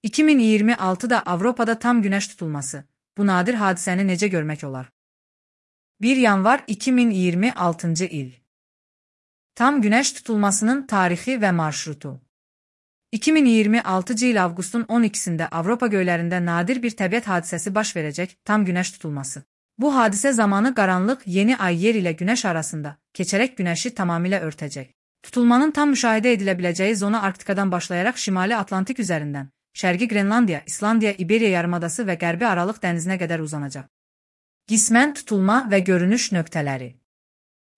2026'da Avropada tam günəş tutulması. Bu nadir hadisəni necə görmək olar? 1 yanvar 2026-cı il. Tam günəş tutulmasının tarixi və marşrutu. 2026-cı il avqustun 12-sində Avropa göylərində nadir bir təbiət hadisəsi baş verəcək, tam günəş tutulması. Bu hadisə zamanı qaranlıq yeni ay yer ilə günəş arasında keçərək günəşi tamamilə örtəcək. Tutulmanın tam müşahidə edilə biləcəyi zona Arktikadan başlayaraq Şimali Atlantik üzərindən, Şərqi Qrenlandiya, İslandiya, İberiya yarımadası və Qərbi Aralıq dənizinə qədər uzanacaq. Qismən tutulma və görünüş nöqtələri.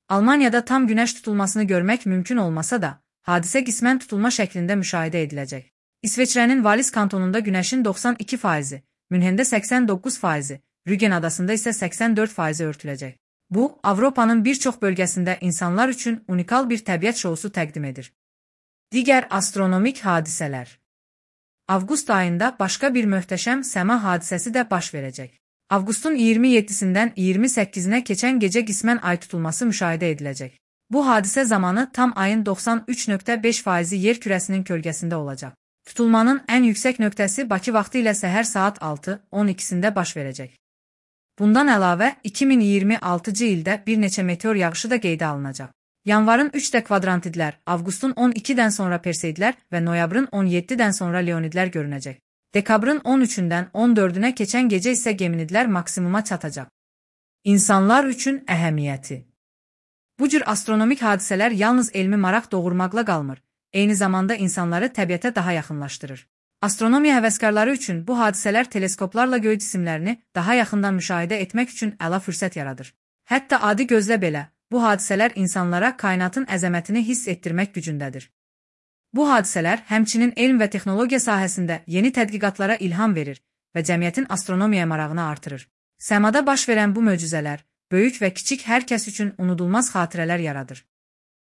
Almaniyada tam günəş tutulmasını görmək mümkün olmasa da, hadisə qismən tutulma şəklində müşahidə ediləcək. İsveçrənin Valis kantonunda günəşin 92%, Münhendə 89%, Rügen adasında isə 84% örtüləcək. Bu, Avropanın bir çox bölgəsində insanlar üçün unikal bir təbiət şousu təqdim edir. Digər astronomik hadisələr. Avqust ayında başqa bir möhtəşəm səma hadisəsi də baş verəcək. Avqustun 27-sindən 28-nə keçən gecə qismən ay tutulması müşahidə ediləcək. Bu hadisə zamanı tam ayın 93.5% yer kürəsinin kölgəsində olacaq. Tutulmanın ən yüksək nöqtəsi Bakı vaxtı ilə səhər saat 6:12-sində baş verəcək. Bundan əlavə, 2026-cı ildə bir neçə meteor yağışı da qeydə alınacaq. Yanvarın 3-də kvadrantidlər, avqustun 12-dən sonra perseidlər və noyabrın 17-dən sonra leonidlər görünəcək. Dekabrın 13-dən 14-ünə keçən gecə isə geminidlər maksimuma çatacaq. İnsanlar üçün əhəmiyyəti. Bu cür astronomik hadisələr yalnız elmi maraq doğurmaqla qalmır, eyni zamanda insanları təbiətə daha yaxınlaşdırır. Astronomiya həvəskarları üçün bu hadisələr teleskoplarla göy cisimlərini daha yaxından müşahidə etmək üçün əla fürsət yaradır. Hətta adi gözlə belə, bu hadisələr insanlara kainatın əzəmətini hiss etdirmək gücündədir. Bu hadisələr həmçinin elm və texnologiya sahəsində yeni tədqiqatlara ilham verir və cəmiyyətin astronomiyaya marağını artırır. Səmada baş verən bu möcüzələr, böyük və kiçik hər kəs üçün unudulmaz xatirələr yaradır.